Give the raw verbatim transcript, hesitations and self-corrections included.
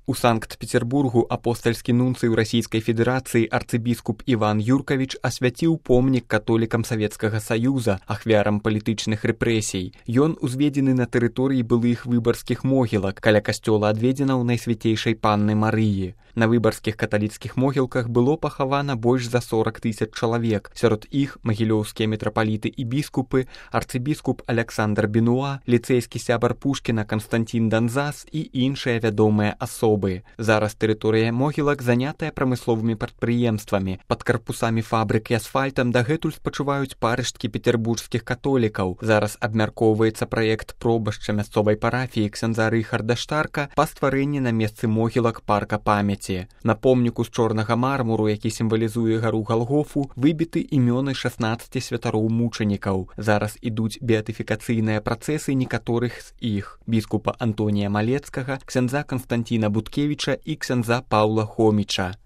У Санкт-Петербургу апостальскі нунцый у Расійскай Федэрацыі арцыбіскуп Іван Юркавіч асвяціў помнік католікам Савецкага Саюза, ахвярам палітычных рэпрэсій. Ён узведзены на тэрыторыі былых выбарскіх могілак, каля касцёла адведзенаў Найсвяцейшай Панны Марыі. На выбарскіх каталіцкіх могілках было пахавана больш за сорак тысяч чалавек. Сярод іх магілёўскія мітрапаліты і біскупы, арцыбіскуп Аляксандр Бенуа, ліцэйскі сябар Пушкіна Канстантін Данзас і іншыя вядомыя асобы. Зараз тэрыторыя могілак занятая прамысловымі прадпрыемствамі. Пад карпусамі фабрык і асфальтам дагэтуль спачуваюць парышткі петербургскіх католікаў. Зараз абмяркоўваецца праект пробашча мясцовай парафіі ксяндза Рыхарда Штарка па стварэнні на месцы могілак парка памяці. На помніку з чорнага мармуру, які сімвалізуе гару Галгофу, выбіты імёны шаснаццаці святароў мучанікаў. Зараз ідуць беатыфікацыйныя працэсы некаторых з іх: біскупа Антонія Малецкага, ксяндза Канстантіна Буткевіча і ксяндза Паўла Хоміча.